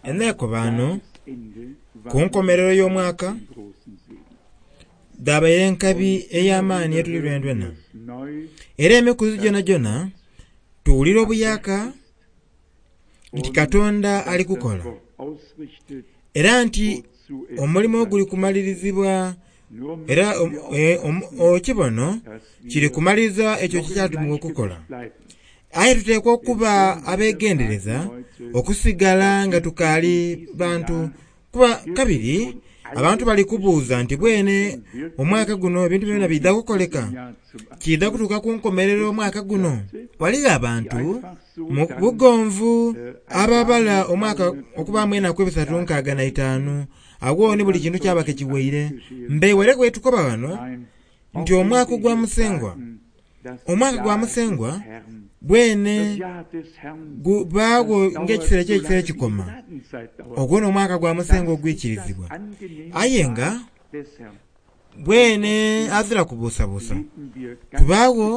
Enhekobaano ku nkomerero y'omwaka dhabaire enkabi ey'amaani yetuli lwenadwena era emikuzi gyonagyona tuwulira obuyaka nti Katonda ali kukola era nti omulimo guli kumalirizibwa era ekibono kiri kumaliriza ekyo kyekyatumibwa okukola. Aye tuteekwa okuba abegendereza okusigala nga tukaali bantu kuba kabiri abantu bali kubuuza nti bwene omwaka guno ebintu byona biidha kukoleka? Kiidha kutuuka ku nkomerero omwaka guno? Ghaligho abantu mu bugonvu ababala omwaka okubaamu enaku ebisatu nkaaga na itaanu agho ni buli kintu kyaba ke kiwaire. Mbe were bwetukoba ghano nti omwaka ogwa Musengwa, omwaka gwa Musengwa bwene gubaagho ng'ekiseera eky'ekiseera kikoma. Ogwo n'omwaka gwa Musengwa ogwikirizibwa. Aye nga bwene azira kubuusabuusa kubaagho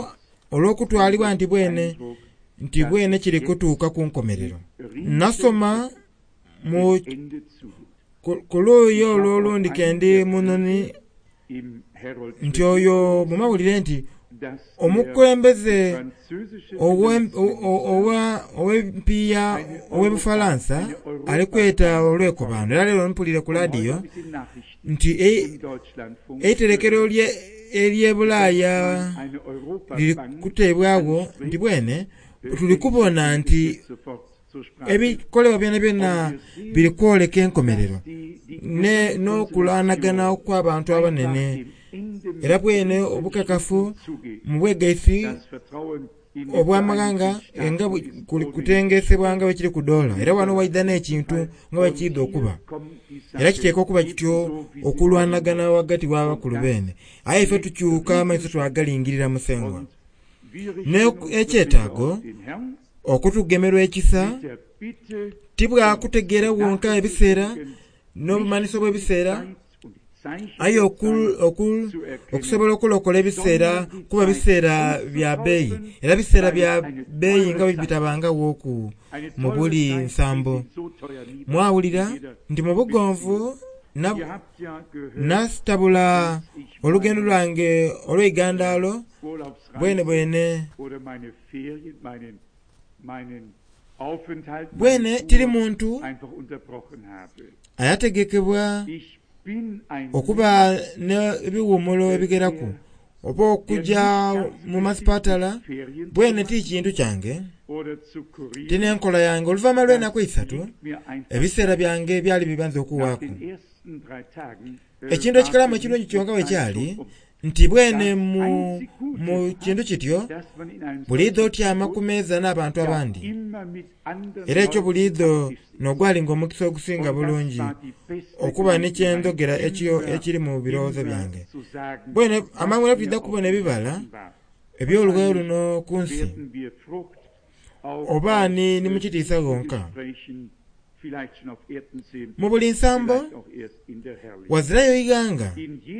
olw'okutwalibwa nti bwene nti bwene kiri kutuuka ku nkomerero. Nasoma mu ku luuyi olwo olundi ke ndi mu noni nti oyo mu mawulire nti omukulembeze ow'empiiya ow'e Bufalansa ali kweta olwekobaano era leero mpuliire ku laadiyo nti eiterekero ery'e Bulaaya liri kuteebwagho nti bwene tuli kubona nti Ebikolebwa byonabyona biri kwoleka enkomerero n'okulwanagana okw'abantu abanene, era bwene obukakafu mu bwegaisi obw'amaghanga nga buli kutengeesebwa nga bwekiri ku doola. Era ghano waidha n'ekintu nga bwekiidha okuba. Era kiteekwa okuba kityo okulwanagana ghagati w'abakulu beene. Aye ife tukyuka amaiso twagalingirira Musengwa. N'ekyetaago okutugemerwa ekisa, ti bwa kutegeera wonka ebiseera n'obumanhiso bw'ebiseera, aye okusobola okulokola ebiseera kuba biseera bya beeyi, era biseera bya beeyi nga bwe bitabangaghooku mu buli nsambo. Mwawulira nti mu bugonvu nasitabula olugendo lwange olw'eigandaalo bwenebwene. Bwene tiri muntu ayategekebwa okuba n'ebiwumulo ebigheraku oba okuja mu masipatala, bwene ti kintu kyange, ti n'enkola yange. Oluvainhuma lw'enaku eisatu, ebiseera byange byali bibanze okuwaaku. Ekintu ekikalamu ekirungi kyonka bwe kyali nti bwene mu, mu kintu kityo, buliidho otyama ku meeza n'abantu abandi. Era ekyo buliidho n'ogwalinga omukisa ogusinga bulungi okuba ni kye ndhogera ekyo ekiri mu birowoozo byange. Bwene amangu era twidha kubona ebibala eby'olughayo luno ku nsi. Oba ni, ni mu kitiisa ghonka. Mu buli nsambo, ghazirayo ighanga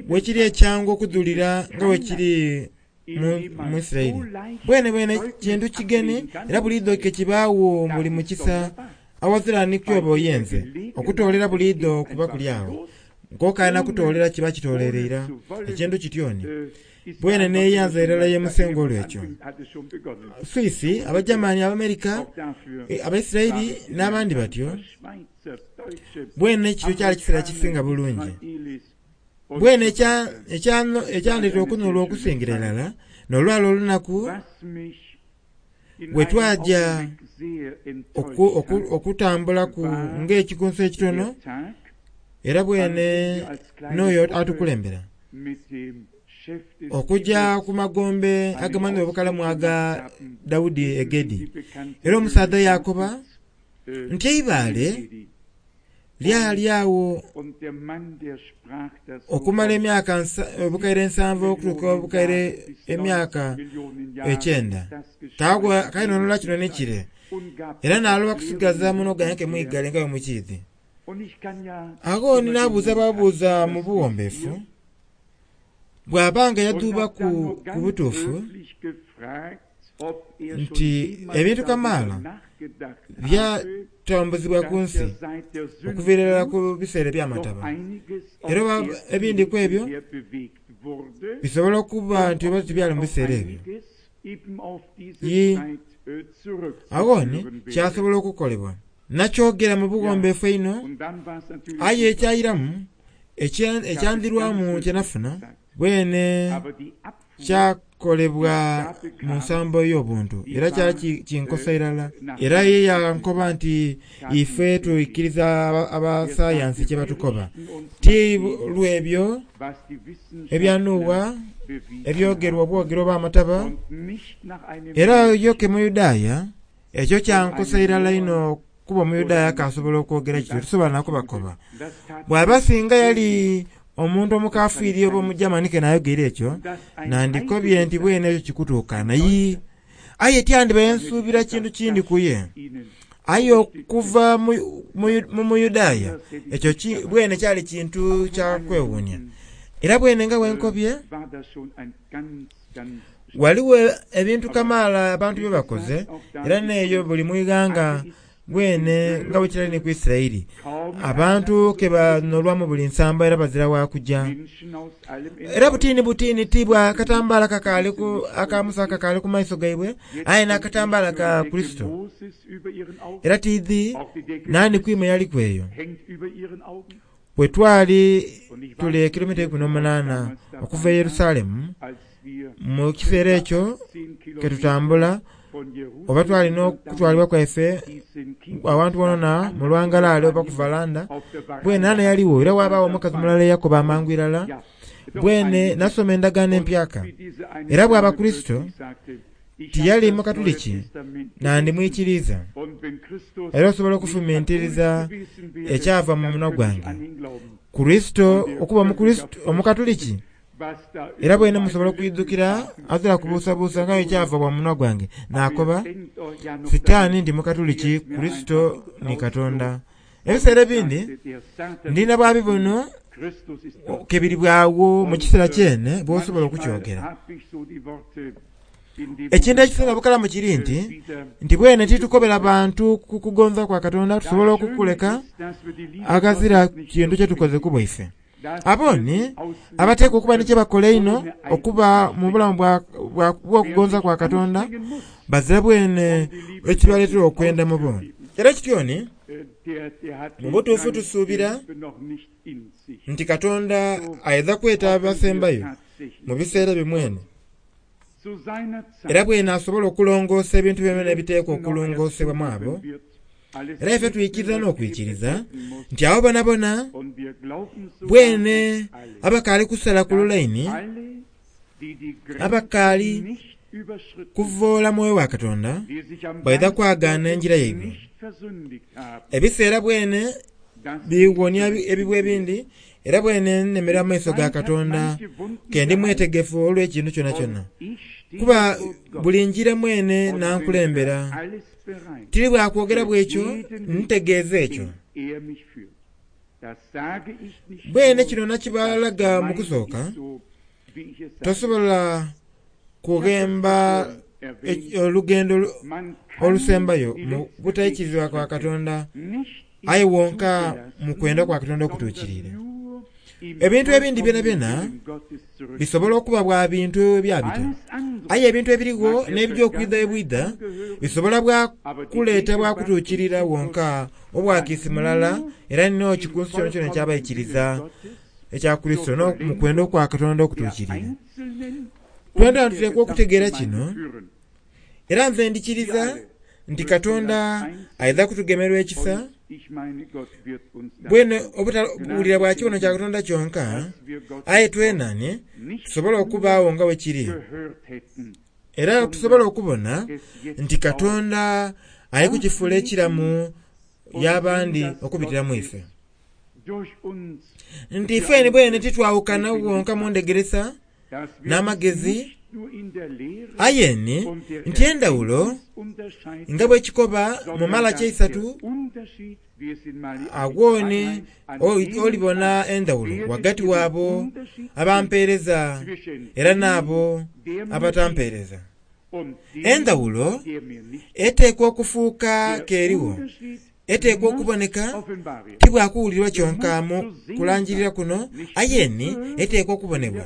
wekiri ekyangu okudhulira nga bwekiri mu Isiraeli. Bwenebwene kintu kigeni era buliidho ke kibaagho buli mukisa aghazira ni ky'oba oyenze okutoolera buliidho kuba kuli agho. Nk'okaali na kutoolera kiba kitooleire ira. Ekintu kityo ni. Bwene n'eyanza irala ye Musengwa olw'ekyo. Swisi, Abagermani, Abamerika, Abaisiraeli n'abandi batyo, bwene kityo kyali kiseera kisinga bulungi. Bwene ekyandeetera okunhulwa okusingira irala n'olwali olunaku bwe twaja okutambulaku ng'ekikunsu ekitono era bwene n'oyo atukulembera okuja ku magombe agamanhibwa obukalamu aga Daudi e Gedi. Era omusaadha yaakoba nti eibaale lyali agho okumala emyaka obukaire nsanvu okutuuka obukaire emyaka ekyenda. Kaagwa kainhonhola kino ni kire, era naaloba kusigaza munwa gwange ke mwigale nga bwe mukiidhi. Agho ni naabuuza bwabuuza mu buwombeefu, bw'aba nga yadhuubaku ku butuufu. Nti ebintu kamaala byatambuzibwa ku nsi okuviira irala ku biseera eby'amataba. Era oba ebindi ku ebyo bisobola okuba nti oba tibyali mu biseera ebyo. Yii, agho ni kyasobola okukolebwa. Nakyogera mu bughombeefu einho, aye ekyairamu, ekyandhirwamu kye nafuna, bwene kyakolebwa mu nsambo ey'obuntu era kyali kinkosa irala. Era ye yankoba nti ife twikiriza abasayansi kye batukoba, ti lw'ebyo ebya Nuuwa ebyogerwa obwogerwa oba amataba. Era yo ke Muyudaaya, ekyo kyankosa irala inho kuba Omuyudaaya akaasobola okwogera kityo, tisobola na kubakoba. Bw'aba singa yali omuntu omukafiiri oba Omugermani ke naayogeire ekyo, nandikobye nti bwene ekyo kikutuukana. Yii, aye tyandibaire nsuubira kintu kindi ku ye. Aye okuva mu Muyudaaya, ekyo bwene kyali kintu kya kwewuunia. Era bwene nga bwe nkobye, ghaligho ebintu kamaala abantu bye bakoze, era n'eyo buli mu ighanga bwene nga bwe kirali ni ku Isiraeli, abantu ke banolwa mu buli nsambo era bazira wa kuja. Era butiini butiini ti bwa katambaala kakaali ku aka Musa akakaali ku maiso gaibwe, aye n'akatambaala ka Kurisito. Era tiidhi naani ku imwe yaliku eyo. Bwe twali tuli ekilomita eikumi n'omunaana okuva e Yerusalemu, mu kiseera ekyo ke tutambula, oba twali n'okutwalibwa kwaife awantu wonawona mu lwangalaale oba ku valanda, bwene nani eyaligho? Era waabagho omukazi mulala eyakoba amangu irala, Bwene nasoma Endagaano Empyaka, era bw'aba Kurisito, Tiyali Mukatuliki, nandimwikiriiza. Era osobola okufumintiriza ekyava mu munwa gwange. Kurisito okuba Omukatuliki? Era bwene musobola okwidhukira azira kubuusabuusa nga ekyava bwa munwa gwange naakoba, Sitaani ndi Mukatuliki, Kurisito ni Katonda. Ebiseera ebindi ndina bwa bibono ke biri bwagho mu kiseera kyene bw'osobola okukyogera. Ekintu ekisinga bukalamu kiri nti, nti bwene titukobera bantu ku kugonza kwa Katonda tusobola okukuleka aghazira kintu kye tukoze ku bwaife. Abo ni abateekwa okuba ni kye bakola einho okuba mu bulamu bw'okugonza kwa Katonda, bazira bwene ekibaleetera okwenda mu bo. Era kityo ni, mu butuufu tusuubira nti Katonda aidha kweta abasembayo mu biseera bye mwene, era bwene asobola okulongoosa ebintu byonabyona ebiteekwa okulongoosebwa mu abo. Era ife twikiriza n'okwikiriza nti abo bonabona bwene abakaali kusala ku lulaini, abakaali kuvoola Mwoyo wa Katonda, baidha kwagaana engira yaibwe. Ebiseera bwene bighonia ebibwa ebindi, era bwene nemera mu maiso ga Katonda ke ndi mwetegefu olw'ekintu kyonakyona. Kuba buli ngira mwene n'ankulembera. Tiri bwa kwogera bw'ekyo, ntegeeza ekyo. Bwene kino nakibalaga mu kusooka, tosobola kughemba olugendo olusembayo mu butaikirizibwa kwa Katonda, aye wonka mu kwenda kwa Katonda okutuukiriire. Ebintu ebindi byonabyona bisobola okuba bwa bintu ebyabita, aye ebintu ebirigho n'ebija okwidha ebwidha bisobola bwa kuleeta bwa kutuukirira wonka obwakiisi mulala era n'ekikunsu kyonakyona eky'abaikiriza ekya Kurisito mu kwenda okwa Katonda okutuukirire. Twena tuteekwa okutegeera kino, era nze ndhikiriza nti Katonda aidha kutugemerwa ekisa, bwene obutawulira bwa kibono kya Katonda kyonka, aye twena ni tusobole okubaagho nga bwe kiri, era tusobole okubona nti Katonda ali kukifuula ekiramu y'abandi okubitira mu ife. Nti ifeni bwene titwawukana wonka mu ndhegeresa n'amagezi, aye ni nti endhawulo nga bwe kikoba mu Malaki eisatu, agho ni olibona endhawulo ghagati w'abo abampeereza era n'abo abatampeereza. Endhawulo eteekwa okufuuka k'eriwo, eteekwa okuboneka, ti bwa kuwulirwa kyonka mu kulangirira kuno, aye ni eteekwa okubonebwa.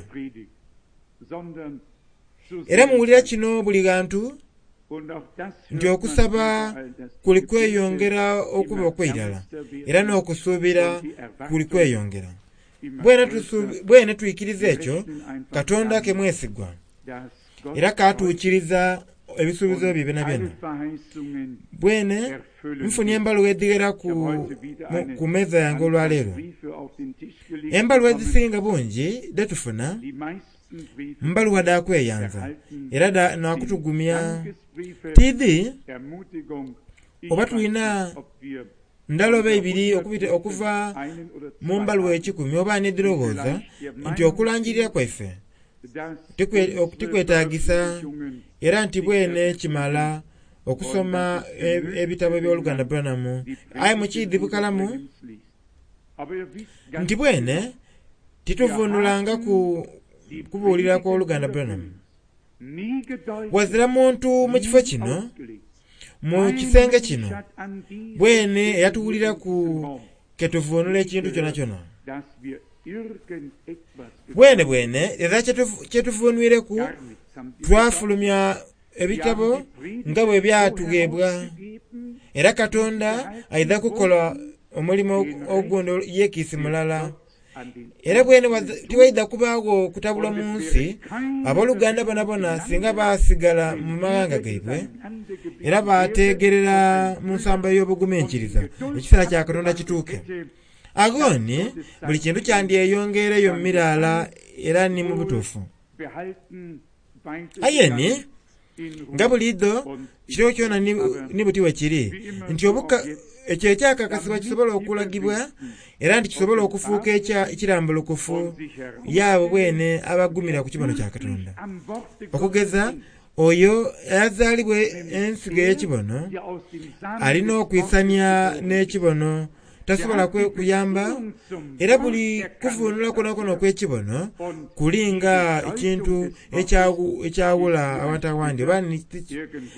Era muwulira kino buli ghantu nti okusaba kuli kweyongera okuba okw'eirala, era n'okusuubira kuli kweyongera. Bwene twikiriza ekyo, Katonda ke mwesigwa, era katuukiriza ebisuubizo bye byonabyona. Bwene nfunye embaluwa edhighera ku meeza yange olwaleero. Embaluwa edhisinga bungi dhetufuna mbaluwa dha kweyanza era nakutugumya. Tiidhi oba tulina ndala oba ibiri okuva mu mbaluwa ekikumi oba n'edhirowooza nti okulangirira kwaife tikwetagisa era nti bwene kimala okusoma ebitabo eby'oluganda Branham. Aye mukiidhi bukalamu nti bwene tituvuunulangaku kubuulira kw'oluganda Branham. Wazira muntu mu kifo kino, mu kisenge kino, bwene eyatuwuliraku ketuvuunula ekintu kyonakyona. Bwene bwene era kyetuvuunwireku twafulumya ebitabo nga bwe byatugheebwa. Era Katonda aidha kukola omulimo ogundi yekiisi mulala. Era bwene tiwaidha kubaagho kutabulwa mu nsi, abooluganda bonabona singa baasigala mu maghanga gaibwe era baategerera mu nsambo ey'obuguminkiriza ekiseera kya Katonda kituuke. Agho ni buli kintu kyandyeyongeireyo mu miraala era ni mu butuufu. Aye ni nga buliidho kiro kyona ni buti bwe kiri, nti ekyo ekyakakasibwa kisobole okulagibwa era nti kisobole okufuuka ekirambulukufu y'abo bwene abagumira ku kibono kya Katonda. Okugeza, oyo eyazaalibwa ensigo ey'ekibono alina okwisania n'ekibono, tasobola kuyamba, era buli kuvuunula kwonakwona okw'ekibono kuli nga ekintu ekyawula awantu awandi, oba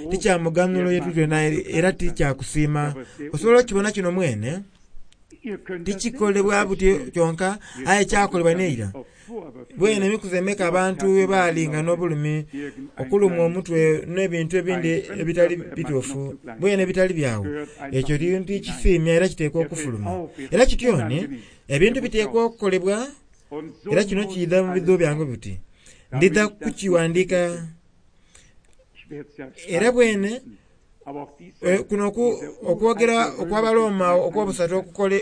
ti kya muganhulo ye tuli twena era ti kya kusiima. Osobola okukibona kino mwene, tikikolebwa buti kyonka, aye kyakolebwa n'eira. Bwene emikuzi emeka abantu bwe baalinga n'obulumi, okulumwa omutwe n'ebintu ebindi ebitali bituufu, bwene ebitali byagho, ekyo tikisiimya era kiteekwa okufuluma. Era kityo ni, ebintu biteekwa okukolebwa, era kino kiidha mu bidhuubo byange buti. Ndidha kukiwandiika era bwene kuno okwogera okw'Abaroma okw'obusatu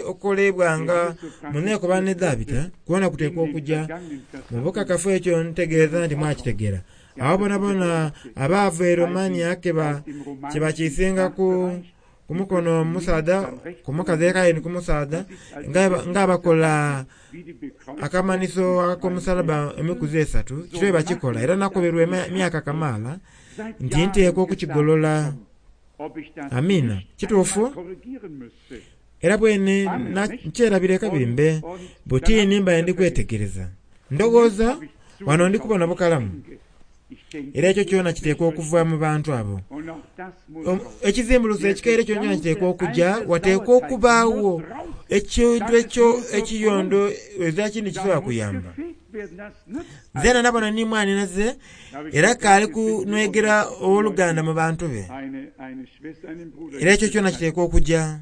okukolebwanga mu neekobaano edhaabita, kwona kuteekwa okuja. Mu bukakafu ekyo ntegeeza nti mwakitegeera. Abo boonaboona abaava e Romania kye bakiisinga ku mukono omusaadha, ku mukazi aye ni ku musaadha, ng'abakola akamanhiso ak'omusalaba emikuzi esatu, kityo bwe bakikola. Era nakoberwa emyaka kamaala nti nteekwa okukigolola. Amiina. Kituufu? Era bwene nkyerabira kabiri mbe buti ni mbaire ndi kwetegereza. Ndowooza wano ndi kubona bukalamu. Era ekyo kyona kiteekwa okuva mu bantu abo. Ekizimbulukusa ekikaire kyonakyona kiteekwa okuja, wateekwa okubaagho ekintu ekyo ekiyondo ezira kindi kisobola kuyamba. Nze nabona ni mwanhinaze era kaali kunhwegera ow'oluganda mu bantu be. Era ekyo kyona kiteekwa okuja.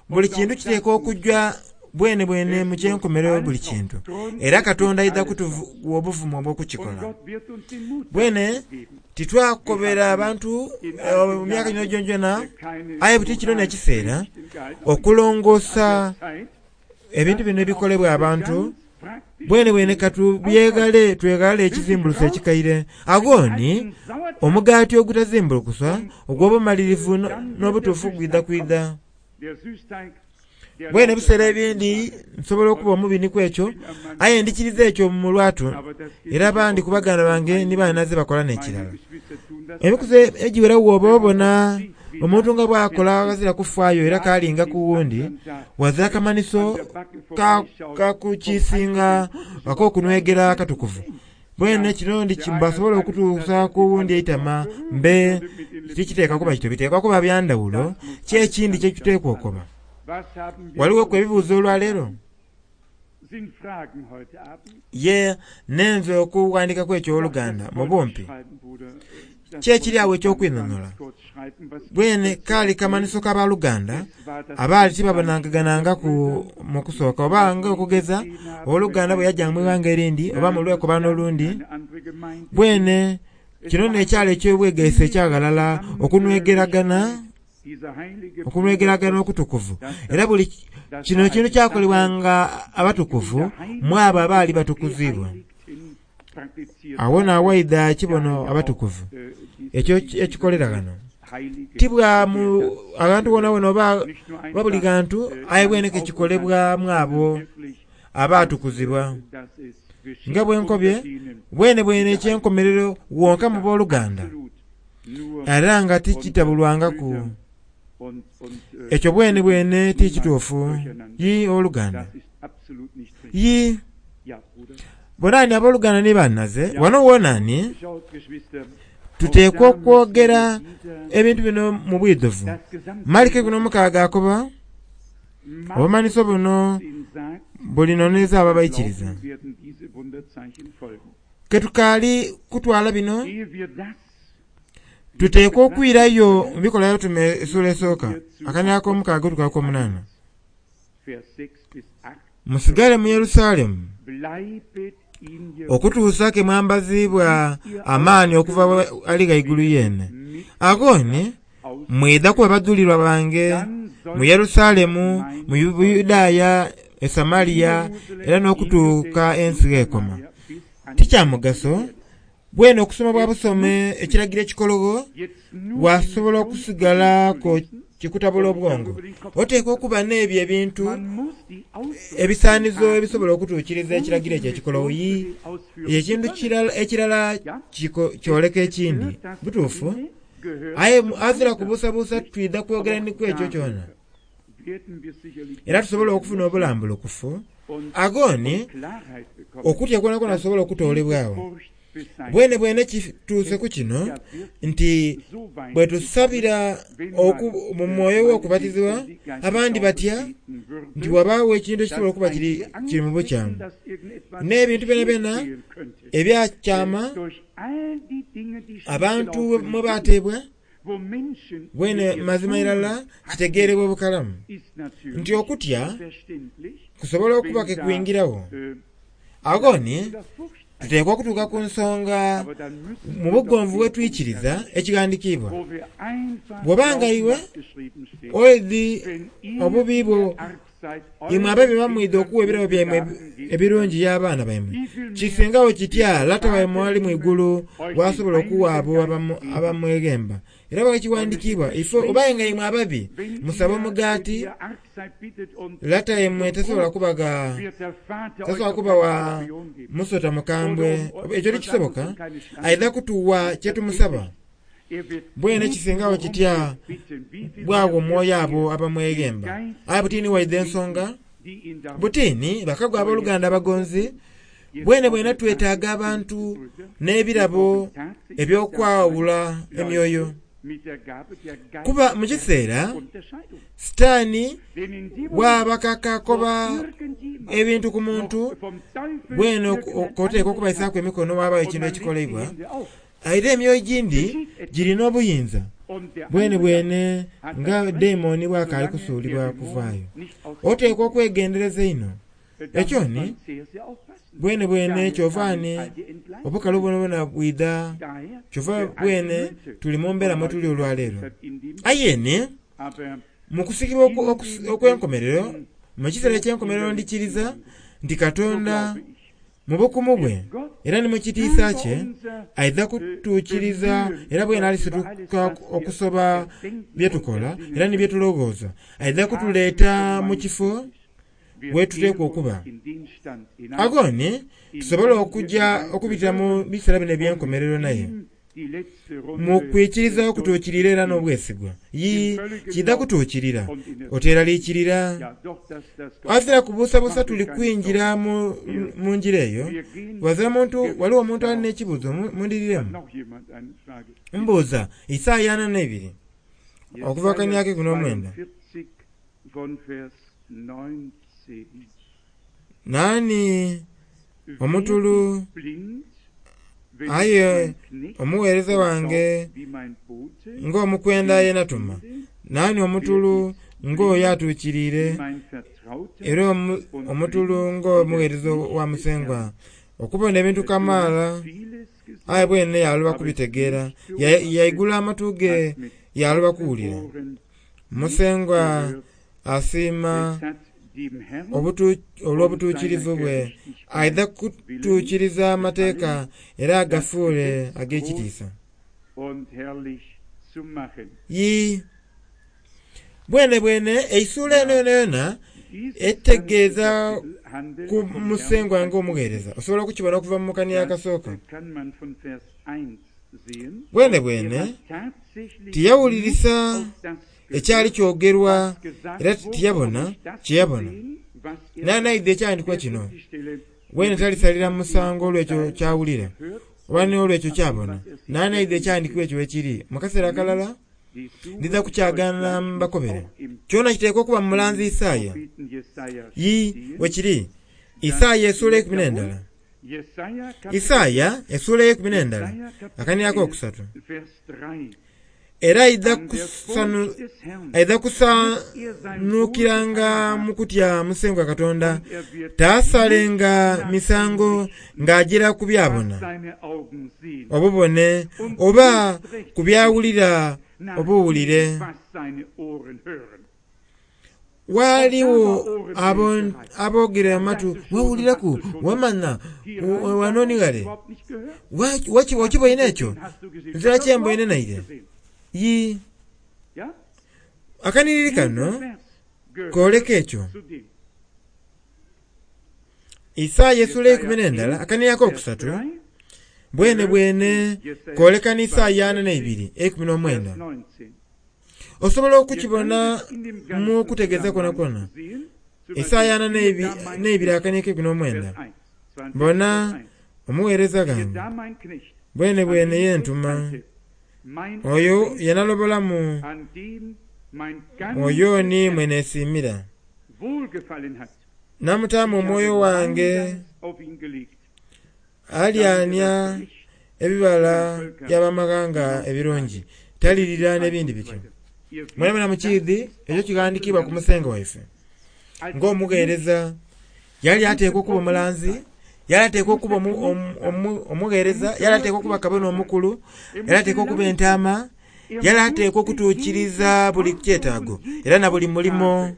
Buli kintu kiteekwa okuja bwene bwene mu kyenkomerero buli kintu. Era Katonda aidha kutuwa obuvumu obw'okukikola. Bwene titwakobera abantu mu myaka gino gyonagyona, aye buti kino n'ekiseera okulongoosa ebintu bino ebikolebwa abantu. Bwene bwene katubyegale tweghale ekizimbulukusa ekikaire. Agho ni omugaati ogutazimbulukuswa ogw'obumalirivu n'obutuufu gwidha kwidha. Bwene ebiseera ebindi nsobola okuba omubi ni ku ekyo, aye ndikiriza ekyo mu lwatu, era abandi ku baganda bange ni banhinaze bakola n'ekirala. Emikuzi egiwera bw'oba obona omuntu nga bw'akola aghazira kufaayo era k'alinga ku wundi, ghazira kamanhiso ka kukiisinga ak'okunhwegera akatukuvu. Bwene kino ndi mbasobola okutuusa ku wundi eitama mbe tikiteekwa kuba kityo, biteekwa kuba bya ndhawulo. Ki ekindi kye tuteekwa okukoba? Ghalighoku ebibuuzo olwaleero? Ye, nenze okughandikaku ekyo owoluganda, mu bumpi. Ki ekiri agho eky'okwinhonhola? Bwene kaali kamanhiso ka baluganda abaali tibabonangaganangaku mu kusooka oba nga okugeza owoluganda bwe yajanga mu ighanga erindi oba mu lwekobaano olundi. Bwene kino n'ekyalo eky'obwegaisi ekya ghalala okunhwegeragana okunhwegeragana okutukuvu. Era buli kino ekintu kyakolebwanga abatukuvu mu abo abaali batukuziibwa. Agho naawaidha ekibono abatukuvu, ekyo ekikolera ghano. Ti bwa mu aghantu wonawona oba oba buli ghantu, aye bwene ke kikolebwa mu abo abaatukuzibwa. Nga bwe nkobye, bwenebwene eky'enkomerero wonka mu boluganda, era nga tikitabulwangaku. Ekyo bwenebwene ti kituufu. Yii, owoluganda. Yii. Bona ni aboluganda ni banhaze, wano wona ni tuteekwa okwogera ebintu bino mu bwidhuvu. Maliki 16 akoba, Obumanhiso buno bulinonereza abo abaikiriza. Ke tukaali kutwala bino, tuteekwa okwirayo mu Bikolwa By'Abatume esula esooka, akanhiriro ak'omukaaga otuuka ku k'omunaana. Musigale mu Yerusalemu okutuusa ke mwambaziibwa amaani okuva Ali Ghaigulu Yeene. Agho ni mwidha kuba badhulirwa bange mu Yerusalemu, mu Buyudaaya, e Samaria era n'okutuuka ensi gh'ekoma. Ti kya mugaso bwene okusoma bwa busome ekiragiro ekikologho wasobola okusigala ko kikutabula obwongo. Oteekwa okuba n'ebyo ebintu ebisaanizo ebisobola okutuukiriza ekiragiro ekyo ekikologho. Yii, ekintu ekirala kyoleka ekindi. Butuufu. Aye azira kubuusabuusa twidha kwogera ni ku ekyo kyona. Era tusobole okufuna obulambulukufu. Agho ni okutya kwonakwona kusobola okutoolebwagho. Bwenebwene kituuse ku kino nti bwe tusabira mu mwoyo ow'okubatizibwa, abandi batya nti ghabaagho ekintu ekisobola okuba kiri mu bukyamu. N'ebintu byonabyona ebyakyama abantu mwe baateebwa, Bwene mazima irala kitegeerebwa bukalamu nti okutya kusobola okuba ke kwingiragho. Agho ni tuteekwa okutuuka ku nsonga mu bugonvu bwe twikiriza ekighandikiibwa. Bw'oba nga iwe oidhi obubi bwo Imwe ababi bamwidha okuwa ebirabo byaimwe ebirungi y'abaana baimwe, kisingagho kitya Lata waimwe ali mu igulu bw'asobola okuwa abo abamweghemba? Era bwekighandikiibwa, Ife oba nga imwe ababi musaba omugaati, Lata waimwe tasobola kubagha, tasobola kubawa musota mukambwe. Ekyo tikisoboka. Aidha kutuwa kye tumusaba. Bwene kisingagho kitya bwagho omwoyo abo abamweghemba? Aye buti ni waidha ensonga. Buti ni, bakagwa aboluganda abagonzi, bwenebwene twetaaga abantu n'ebirabo eby'okwawula emyoyo. Kuba mu kiseera Sitaani bw'abakaka akoba ebintu ku muntu, bwene oteekwa okubaisaaku emikono waabagho ekintu ekikoleibwa. Aye emyoyo egindi giri n'obuyinza bwenebwene nga daimoni bw'akaali kusuulibwa kuvaayo. Oteekwa okwegendereza einho. Ekyo ni bwenebwene kyova ni obukalu bwonabwona bwidha, kyova bwene tuli mu mbeera mwe tuli olwaleero. Aye ni mu kusikibwa okw'enkomerero, mu kiseera eky'enkomerero ndikiriza nti Katonda Mu bukumu bwe era ni mu kitiisa kye, aidha kutuukiriza era bwene alisituka okusoba bye tukola era ni bye tuloghooza. Aidha kutuleeta mu kifo we tuteekwa okuba. Agho ni tusobole okuja okubitira mu biseera bino eby'enkomerero naye. Mu kwikiriza okutuukirira era n'obwesigwa. Yii, kiidha kutuukirira. Oteeraliikirira. Ghazira kubuusabuusa tuli kwingira mu, mu ngira eyo. Ghazira muntu, ghaligho omuntu ali n'ekibuuzo? Mundhiriremu. Mbuuza, Isaaya 42, okuva ku kanhiriri ak'eikumi n'omwenda. Naani omutulu aye omugheereza wange ng'omukwenda ye natuma? Naani omutulu ng'oyo atuukiriire, era omutulu ng'omugheereza wa Musengwa, okubona ebintu kamaala, aye bwene yaaloba kubitegeera, yaigula amatu ge yaaloba kuwulira. Musengwa asiima olw'obutuukirivu bwe, aidha kutuukiriza amateeka era agafuule ag'ekitiisa. Yii, bwene bwene eisuula eno yonayona etegeeza ku Musengwa ng'omugheereza. Osobola okukibona okuva mu kanhiriri akasooka. Bwene bwene tiyawulirisa ekyali kyogerwa era tiyabona kye yabona. Naani aidha ekyandikwa kino? Bwene talisalira musango olw'ekyo ky'awulira, oba ni olw'ekyo ky'abona. Naani aidha ekyandikwa ekyo wekiri? Mu kaseera akalala ndidha kukyagaana mbakobere. Kyona kiteekwa okuba mu mulanzi Isaaya. Yii, wekiri. Isaaya essuula eikumi n'endala. Isaaya essuula eyeikumi n'endala, akanhiriri akokusatu. Era aidha kusanhukiranga mu kutya Musengwa Katonda, taasalenga misango ng'ajiira ku by'abona obubone, oba ku by'awulira obuwulire. Ghaligho aboogera amatu, wawuliraku, wamanha, wano ni ghale. Okiboine ekyo? Nzira kye mboine naire. Yii. Akanhiriri kano kooleka ekyo. Isaaya essuula eikumi n'endala akanhiriri akokusatu bwene bwene kooleka ni Isaaya 42 19. Osobola okukibona mu kutegeeza kwonakwona. Isaaya 42 akanhiriri ak'eikumi n'omwenda. Bona, omugheereza ghange, bwene bwene ye ntuma, oyo ye nalobolamu, oyo ni mwe neesiimira. Namutaamu omwoyo wange, alyania ebibala by'abamaghanga ebirungi, talirira n'ebindi bityo. Mwenamwena mukiidhi ekyo kighandikiibwa ku Musengwa waife. Ng'omugheereza, yali ateekwa okuba omulanzi, yali ateekwa okuba omugheereza, yali ateekwa okuba kabona omukulu, yali ateekwa okuba entaama, yali ateekwa okutuukiriza buli kyetaago era na buli mulimo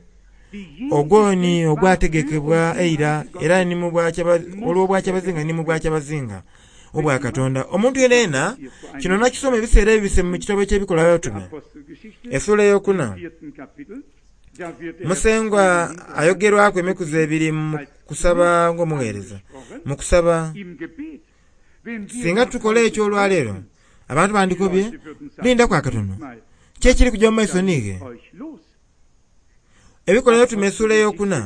ogwoni ogwategekebwa eira era ni mu olw'obwakyabazinga ni mu bwakyabazinga obwa Katonda. Omuntu yenayena kino nakisoma ebiseera ebibise mu kitabo eky'Ebikolwa by'Abatume essuula eyokuna. Musengwa ayogerwaku emikuzi ebiri mu kusaba ng'omugheereza. Mu kusaba, singa tukola ekyo olwaleero, abantu bandikobye, Lindaku akatono, ki ekiri kuja mu maiso niighe? Ebikolwa By'Abatume essuula eyokuna,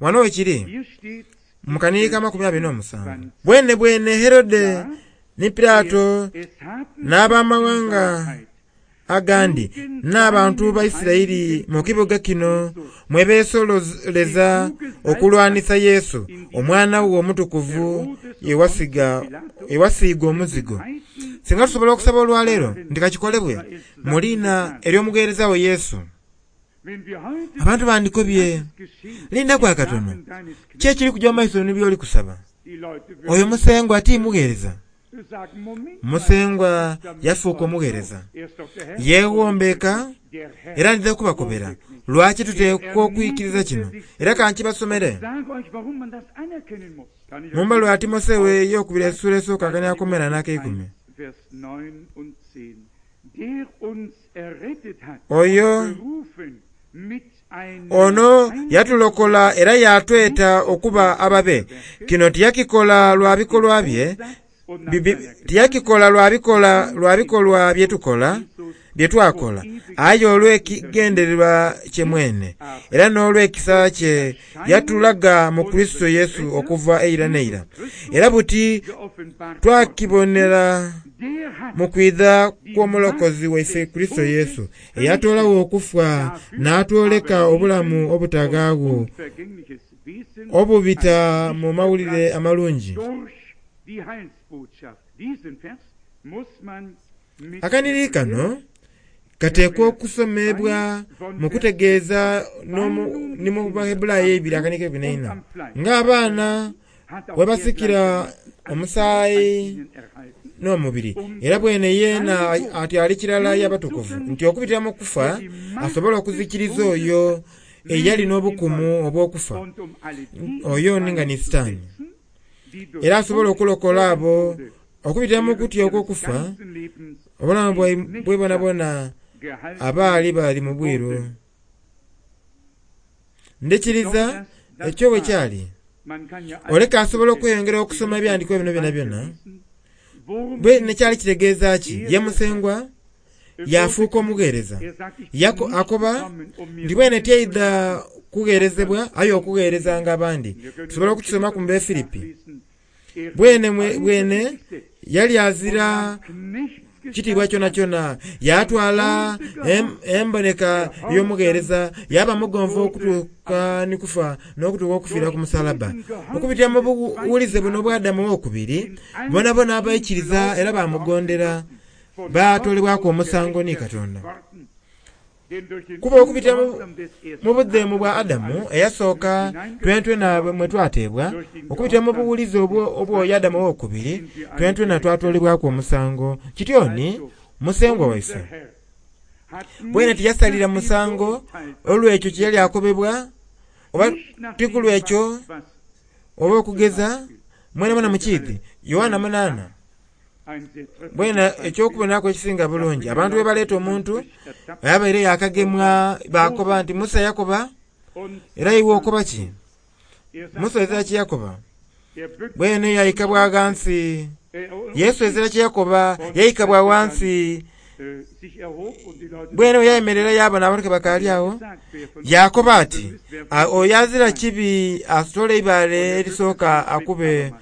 wano wekiri mu kanhiriri ka 27. Bwenebwene Herode ni Pilato n'abamaghanga agandi n'abantu ba Isiraeli mu kibuga kino mwe beesololeza okulwanisa Yesu, Omwana wo Omutukuvu ye wasiiga omuzigo. Singa tusobola okusaba olwaleero nti ka kikolebwe mu liina ery'omugheereza wo Yesu. Abantu bandikobye, Lindaku akatono, ki ekiri kuja mu maiso ni by'oli kusaba? Oyo Musengwa ti mugheereza? Musengwa yafuuka omugheereza. Yeeghombeeka, era ndidha kubakobera lwaki tuteekwa okwikiriza kino. Era ka nkibasomere mu mbaluwa ya Timotheo ey'okubiri essuula esooka akania ak'omwenda n'akeikumi. Oyo ono yatulokola era yaatweta okuba ababe. Kino tiyakikola lwa bikolwa bye. Tiyakikola lwa bikolwa bye tukola, bye twakola, aye olw'ekigendererwa kye mwene, era n'olw'ekisa kye yatulaga mu Kurisito Yesu okuva eira n'eira. Era buti twakibonera mu kwidha kw'Omulokozi waife Kurisito Yesu, eyatoolagho okufa n'atwoleka obulamu obutawaagho obubita mu Mawulire Amalungi. Akanhiriri kano kateekwa okusomebwa mu kutegeeza ni mu Baheburayi eibiri akanhiriri k'eikumi n'eina. Ng'abaana bwe basikira omusaayi n'omubiri, era bwene yeena atyo ali kirala y'abatukuvu, nti okubitira mu kufa asobole okuzikiriza oyo eyali n'obukumu obw'okufa, oyo ni nga ni Sitaani. Era asobole okulokola abo okubitira mu kutya okw'okufa, obulamu bwaibwe bwonabwona abaali bali mu bwiru. Ndhikiriza ekyo bwe kyali. Oleka asobola okweyongera okusoma ebyandikwa bino byonabyona. Bwene kyali kitegeeza ki? Ye Musengwa yaafuuka omugheereza. Akoba nti bwene tyaidha kugheerezebwa aye okugheerezanga abandi. Tusobola okukisomaku mu Befilipi. Bwene bwene yali azira kitiibwa kyonakyona, yaatwala emboneka ey'omugheereza, yaaba mugonvu okutuuka ni kufa, n'okutuuka okufiira ku musalaba. Okubitira mu buwulize buno obwa Adamu owokubiri, bonabona abaikiriza era baamugondera baatoolebwaku omusango ni Katonda. Kuba okubitira mu budheemu bwa Adamu eyasooka twenatwena mwe twateebwa, okubitira mu buwulize obw'oyo Adamu owokubiri twenatwena twatoolebwaku omusango. Kityo ni Musengwa waife bwene tiyasalira musango olw'ekyo kye yali akobebwa, oba ti ku lw'ekyo oba okugeza, mwenamwena mukiidhi. Yoanna munaana. Bwene eky'okuboneraku ekisinga bulungi, abantu bwe baleeta omuntu abaire yaakagemwa baakoba nti Musa yakoba, era iwe okoba ki? Musa ezira kye yakoba. Bwene yaika bwa ghansi. Yesu ezira kye yakoba, yaika bwa ghansi. Bwene bwe yayemerera yaabona abantu ke bakaali agho, yaakoba ati, Oyo azira kibi asitole eibaale erisooka akube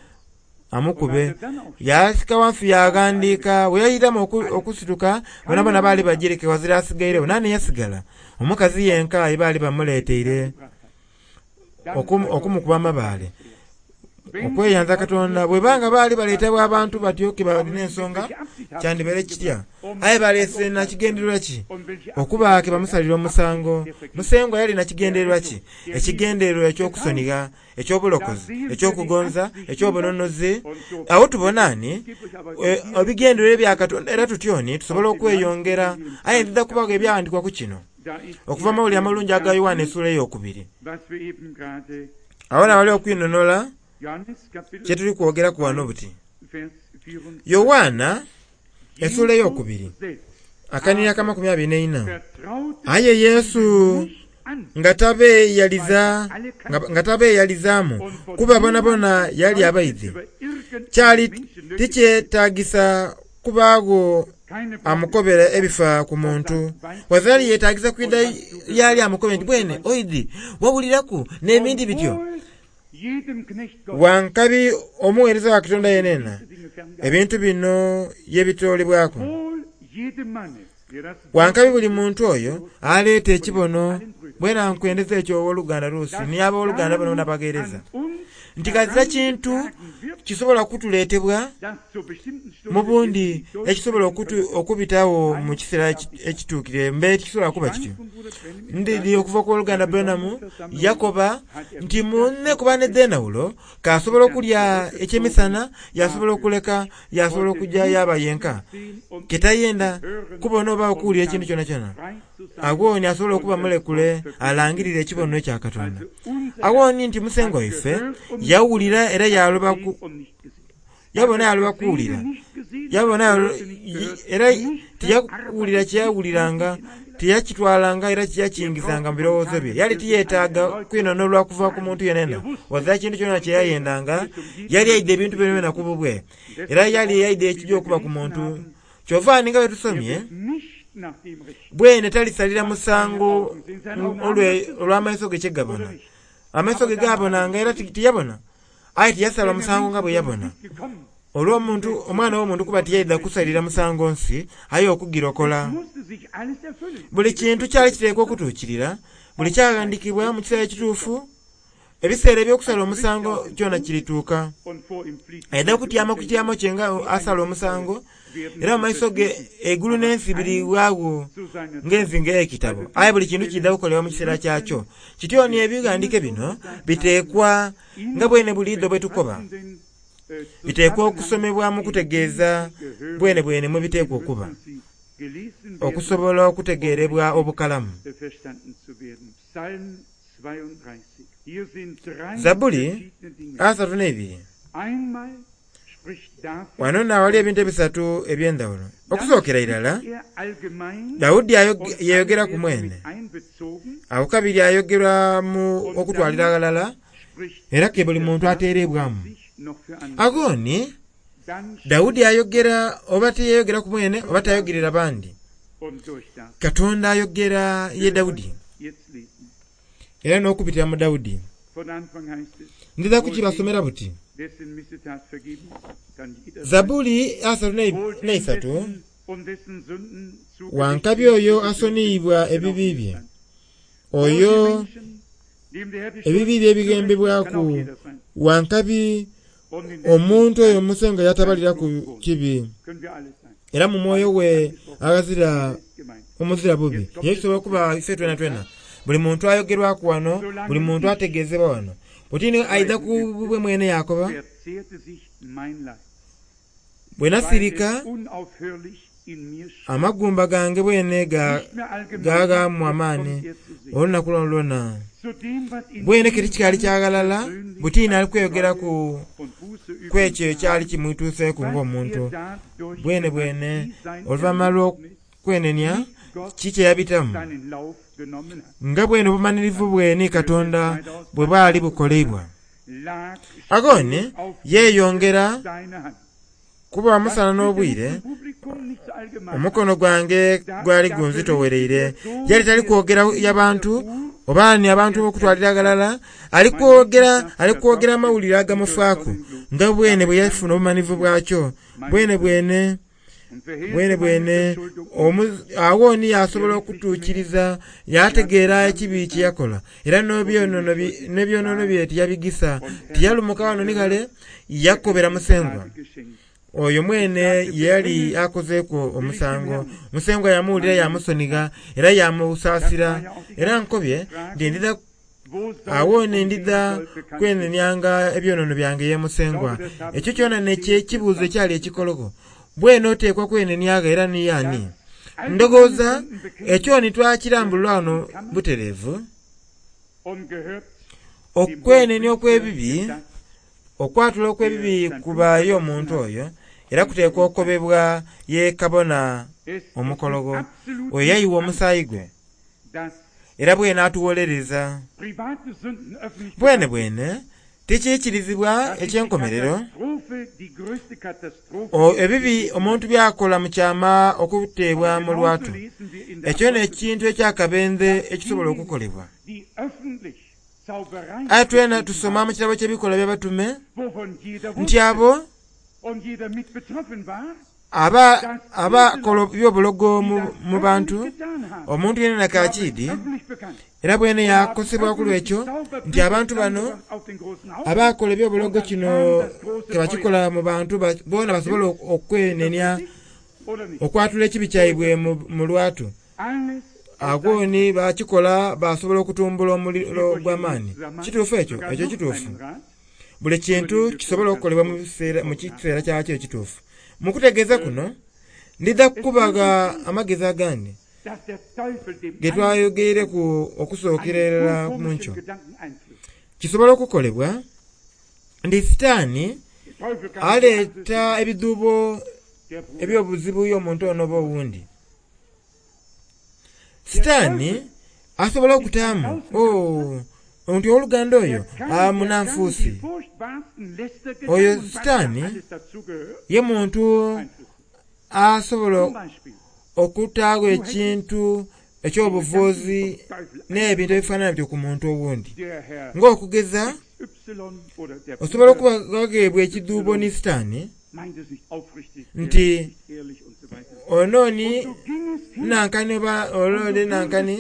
amukube. Yaasika ghansi yaaghandiika. Bwe yairamu okusituka, bonabona baali bagireke ghazira asigairegho. Naani eyasigala? Omukazi yenka ye baali bamuleeteire okumukuba amabaale. Okweyanza Katonda. Bweba nga baali baleetebwa abantu batyo ke balina ensonga, kyandibaire kitya? Aye baleese na kigendererwa ki? Okuba ke bamusalira omusango. Musengwa yali na kigendererwa ki? Ekigendererwa eky'okusonigha. eky'obulokozi, eky'okugonza, eky'obununuzi. Agho tubona ni ebigendererwa ebya Katonda era tutyo ni tusobola okweyongera. Aye ndidha kubagho ebyaghandikwa ku kino okuva mu Mawulire Amalungi aga Yoanne esuula eyokubiri. Agho naawali okwinhonhola kye tuli kwogeraku ghano buti. Yoanna esuula eyokubiri akanhiriri ak'amakumi abiri n'eina. Aye Yesu nga tabeeyaliza nga tabeeyalizaamu kuba bonabona yali abaidhi. Kyali tikyetaagisa kubaagho amukobera ebifa ku muntu. Wazira yali yeetaagisa kwidha y'ali amukobe nti, Bwene oidhi, wawuliraku, n'ebindi bityo. Wa nkabi omugheereza wa Katonda yenena ebintu bino ye bitoolebwaku. Wa nkabi buli muntu oyo aleeta ekibono. Bwena nkwendeza ekyo owoluganda Rusi ni ab'oluganda bonabona abagheereza, nti ghazira kintu kisobola kutuleetebwa mu bundi ekisobola okubitagho mu kiseera ekituukire. Mbe tikisobola kuba kityo. Ndidhi okuva ku Owoluganda Branham yakoba nti mune kuba n'edh'endhawulo, k'asobola okulya ekyemisana, yaasobola okuleka, yaasobola okuja yaaba yenka, ke tayenda kubona oba okuwulira ekintu kyonakyona. Agho ni asobola okuba mulekule alangirire ekibono ekya Katonda. Agho ni nti Musengwa waife yawulira era yaaloba ku, yabona yaaloba kuwulira. Yabona era tiyawulira kye yawuliranga. Tiyakitwalanga era tiyakiyingizanga mu birowoozo bye. Yali tiyeetaaga kwinhonholwa kuva ku muntu yenayena. Ghazira kintu kyona kye yayendanga. Yali aidha ebintu byonabyona ku bubwe. Era yali aidha ekija okuba ku muntu. Kyova ni nga bwe tusomye, bwene talisalira musango olw'amaiso ge kye gabona. Amaiso ge gaabonanga era tiyabona, aye tiyasala musango nga bwe yabona. Olw'omuntu, Omwana w'Omuntu kuba tiyaidha kusalira musango nsi, aye okugirokola. Buli kintu kyali kiteekwa okutuukirira, buli kyaghandiikibwa mu kiseera ekituufu. Ebiseera eby'okusala omusango kyona kirituuka. Aidha kutyama ku kityamo kye nga asala omusango, era mu maiso ge eigulu n'ensi biriwaagho ng'enzingo ey'ekitabo. Aye buli kintu kiidha kukolebwa mu kiseera kyakyo. Kityo ni ebighandiike bino biteekwa, nga bwene buliidho bwe tukoba, biteekwa okusomebwa mu kutegeeza bwenebwene mwe biteekwa okuba, okusobola okutegeerebwa obukalamu. Zabbuli 32. Wano naawali ebintu ebisatu eby'endhawulo. Okusookera irala, Daudi yeyogeraku mwene. Agho kabiri ayogerwa mu okutwalira aghalala era ke buli muntu ateerebwamu. Agho ni, Daudi ayogera oba tiyeyogeraku mwene oba tayogerera bandi. Katonda ayogera ye Daudi era n'okubitira mu Daudi. Ndidha kukibasomera buti. Zabbuli 34, Wa nkabi oyo asoniyibwa ebibi bye, oyo ebibi bye bighembebwaku. Wa nkabi omuntu oyo Musengwa y'atabaliraku kibi, era mu mwoyo gwe aghazira omuzira bubi. Ye kisobola okuba ife twenatwena. Buli muntu ayogerwaku wano, buli muntu ategeezebwa wano. Buti ni aidha ku bubwe mwene yaakoba, Bwe nasirika, amagumba gange bwene gaaghaamu amaani olunaku lwonalwona. Bwene ke tikikaali kya ghalala, buti ni ali kweyogeraku ku ekyo ekyali kimwituuseeku ng'omuntu. Bwenebwene oluvanhuma lw'okwenenia, kiki kye yabitamu? Nga bwene obumanhirivu bwe ni Katonda bwe bwali bukoleibwa. Agho ni yeeyongera kuba omusana n'obwire, omukono gwange gwali gunzitowereire. Yali tali kwogera ya bantu oba ni abantu okutwalira aghalala, ali kwogera ali kwogera amawulire agamufaaku nga bwene bwe yafuna obumanhivu bwakyo bwenebwene. Bwenebwene agho ni yaasobola okutuukiriza, yaategeera ekibi kye yakola, era n'ebyonoono bye tiyabigisa. Tiyalumuka ghano ni ghale, yakobera Musengwa oyo mwene ye yali akozeeku omusango. Musengwa yaamuwulira yaamusonigha era yaamusaasira. Era nkobye nti ndidha Agho ni ndidha kwenenianga ebyonoono byange ye Musengwa. Ekyo kyona n'ekibuuzo ekyali ekikologho. Bwene oteekwa kweneniagho era ni y'ani? Ndhoghoza ekyo ni twakirambulula ghano butereevu. Okwenenia okw'ebibi, okwatula okw'ebibi kuba y'omuntu oyo, era kuteekwa okobebwa ye kabona omukologho, oyo eyayiwa omusaayi gwe. Era bwene atuwolereza. Bwenebwene tikiikirizibwa eky'enkomerero ebibi omuntu by'akola mu kyama okuteebwa mu lwatu. Ekyo n'ekintu eky'akabendhe ekisobola okukolebwa. Aye twena tusoma mu kitabo ky'Ebikolwa by'Abatume nti abo Abakola eby'obulogo mu bantu, omuntu yenayena kaakiidhi, era bwene yaakosebwa ku lw'ekyo nti abantu bano abakola eby'obulogo kino ke bakikola mu bantu boona basobole okwenenia, okwatula ekibi kyaibwe mu lwatu. Agho ni baakikola baasobola okutumbula omuliro ogw'amaani. Kituufu ekyo? Ekyo kituufu. Buli kintu kisobola okukolebwa mu kiseera kyakyo ekituufu. Mu kutegeeza kuno, ndidha kubagha amagezi agandi ge twayogeireku okusookera irala mu nkyo. Kisobola okukolebwa nti Sitaani aleeta ebidhuubo eby'obuzibu y'omuntu ono oba owundi. Sitaani asobola okutaamu, oo, nti owoluganda oyo munanfuusi. Oyo Sitaani ye muntu asobola okutaagho ekintu eky'obuvuuzi n'ebintu ebifaanana bityo ku muntu owundi. Ng'okugeza, osobola okuba ghaghebwa ekidhuubo ni Sitaani nti onooni nankani oba ole nankani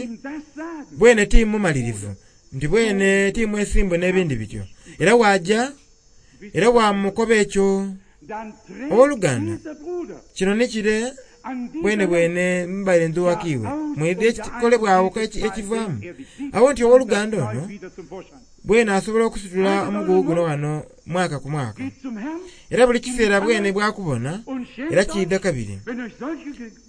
bwene ti mumalirivu, nti bwene ti mwesimbu n'ebindi bityo. Era waja era wamukoba ekyo. Owoluganda, kino ni kire bwene bwene mbaire ndhuwaku iwe. Mwidhi ekikolebwagho ekivaamu. Agho nti owoluganda ono bwene asobola okusitula omugugu guno ghano mwaka ku mwaka. Era buli kiseera bwene bwakubona era kiidha kabiri.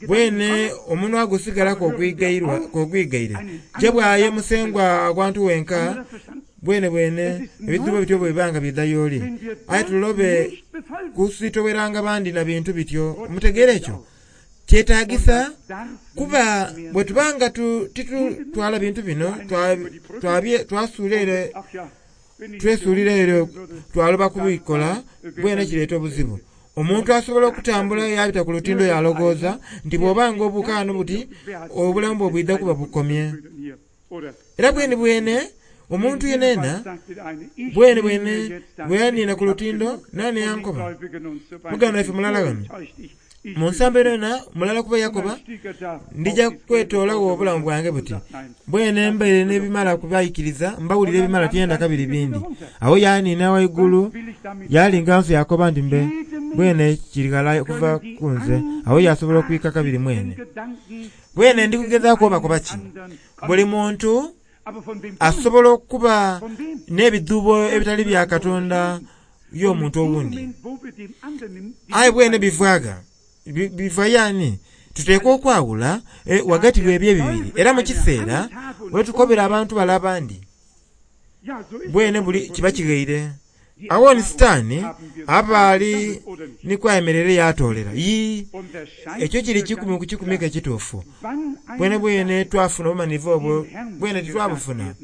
Bwene omunwa gusigala k'ogwigaire. Je bwaye musengwa aghantu wenka bwene bwene ebidhuubo bityo bwe biba nga biidha y'oli. Aye tulobe kusitoweranga bandi na bintu bityo. Mutegeere ekyo? Kyetagisa kuba bwe tubanga titutwala bintu bino twasuula ere, twesuulira ere twaloba kubikola, bwene kireeta obuzibu. Omuntu asobola okutambula yabita ku lutindo yalogooza nti bw'obanga obuuka ghano buti obulamu bwe bwidha kuba bukomye. Era bwene bwene omuntu yenena bwene bwene bwe yanina ku lutindo nani yankoba muganda waife mulala ghano mu nsambo eno mulala kuba yakoba ndija kwetoolagho obulamu bwange buti bwene mbaire n'ebimala kubaikiriza mbawulira ebimala tyenda kabiri bindi. Awo yanina waigulu yalinga nsi yakoba nti mbe bwene kiri ghala okuva ku nze. Awo yasobola okwika kabiri mwene. Bwene ndi kugezaaku obakoba ki? Buli muntu asobola okuba n'ebidhuubo ebitali bya Katonda y'omuntu owundi. Aye bwene bivaaga biva yaani tuteekwa okwawula wagati w'ebyo ebibiri. Era mu kiseera wetukobera abantu bale abandi bwene buli kiba kighaire. Awo ni Sitaani aba ali ni kwayemerera yatoolera. Yii, ekyo kiri 1 ku 100 ekituufu. Bwene bwene twafuna obumanhivu obwo, bwene titwabufuna.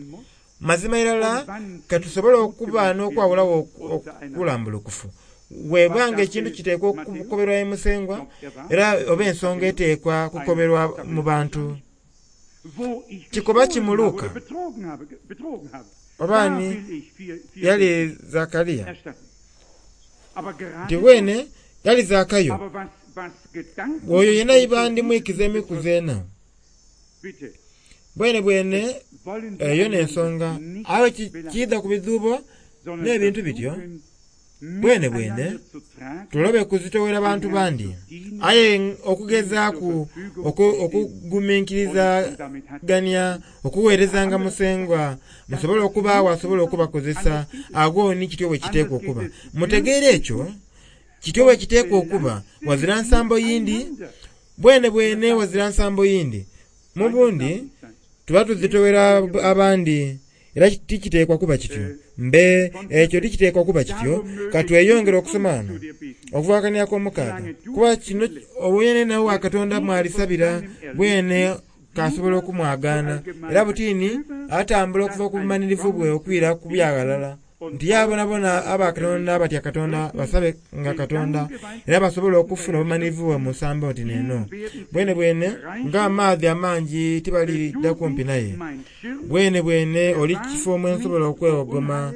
Mazima irala katusobole okuba n'okwawulagho okulambulukufu. Webanga ekintu kiteekwa okukoberwa musengwa era oba ensonga eteekwa kukoberwa mu bantu. Kikoba kimuluka oba ni yali Zakaria nti bwene yali Zakayo oyo yena iba ndimwikiza emikuzi ena. Bwene bwene eyo n'ensonga. Aye kiidha ku bidhuubo n'ebintu bityo. Bwene bwene tulobe kuzitowera bantu bandi. Aye okugezaaku okuguminkirizagania okuweerezanga musengwa musobole okubaawo asobola okubakozesa. Agho ni kityo bwe kiteekwa okuba. Mutegeere ekyo kityo bwe kiteekwa okuba. Wazira nsambo yindi bwene bwene wazira nsambo yindi. Mu bundi tuba tuzitowera abandi era tikiteekwa kuba kityo. Mbe ekyo tikiteekwa kuba kityo. Katweyongere okusoma wano okuva kw'omukaaga kuba kino obwene nawe wa Katonda mwalisabira bwene kasobola okumwagaana. Era butini atambula okuva ku bumanirivu bwe okwira ku byaghalala nti yabonabona aba Katonda abatya Katonda basabe nga Katonda era basobola okufuna obumanirivu bwe mu nsambo nti neno. Bwene bwene ng'amaadhi amangi tibalidda kumpi naye. Bwene bwene oli kifo mwe nsobola okwewogoma,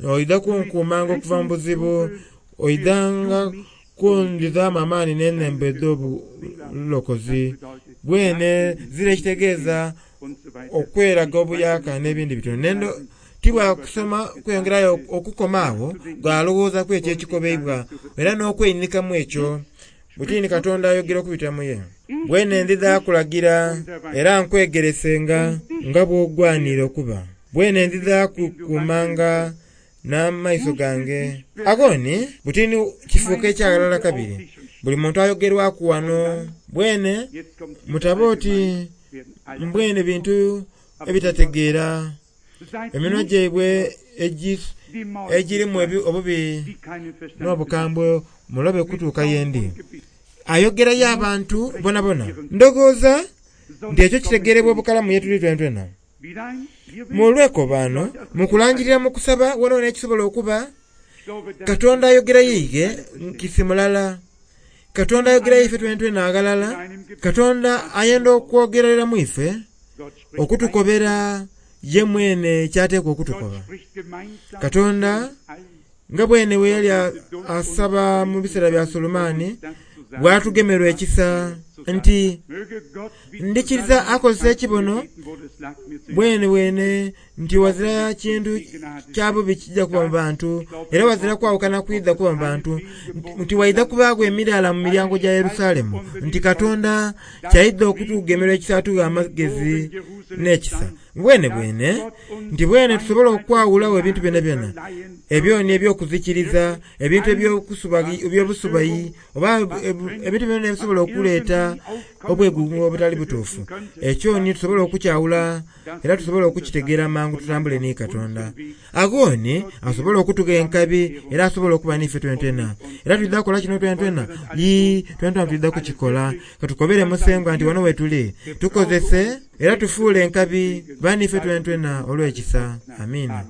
oidha kunkuumanga okuva mu buzibu, oidhanga kundhizaamu amaani n'enhembo edh'obulokozi. Bwene zira ekitegeeza okweraga obuyaka n'ebindi bityo. Nendo tibwa kusoma kweyongerayo okukoma agho gwalowoozaku ekyo ekikobeibwa era n'okweinikamu ekyo. Butini Katonda ayogera okubita mu ye. Bwene ndidha kulagira era nkwegeresenga nga bw'ogwanira okuba. Bwene ndidha kukuumanga n'amaiso gange. Agho ni butini kifuuka ekyaghalala kabiri. Buli muntu ayogerwaku wano. Bwene mutaba oti mbwene bintu ebitategeera. Eminwa gyaibwe egirimu obubi n'obukambwe mulobe kutuuka yendi. Ayogerayo abantu bonabona. Ndowooza Nti ekyo kitegeerebwa obukalamu ye tuli twentwena. Mu lwekobaano, mu kulangirira mu kusaba wonawona ekisobola okuba, Katonda ayogera yeighe kisi mulala. Katonda ayogera ife twentwena aghalala. Katonda ayenda okwogerera mu ife, okutukobera ye mwene ky'ateekwa okutukoba. Katonda, nga bwene bwe yali asaba mu biseera bya Sulemaani, bw'atugemerwa ekisa nti, Ndhikiriza akozesa ekibono bwene bwene nti wazira kintu kya bubi kija kuba mu bantu, era wazira kwawukana kwidha kuba mu bantu, nti waidha kubaagho emiraala mu miryango gya Yerusalemu, nti Katonda kyaidha okutugemerwa ekisa atughe amagezi n'ekisa. Bwenebwene, nti bwene tusobola okwawulagho ebintu byonabyona, ebyoni eby'okuzikiriza, ebintu eby'obusubayi, oba ebintu byonabyona ebisobola okuleeta obwegugungo obutali butuufu. Ekyo ni tusobola okukyawula era tusobola okukitegeera mangu tutambule ni Katonda. Agho ni asobola okutugha enkabi era asobola okuba n'ife twentwena. Era twidha kukola kino twentwena? Yii, twentwena twidha kukikola. Ka tukobere Musengwa nti wano wetuli, tukozese era tufuule enkabi ba n'ife twentwena olw'ekisa. Amiina.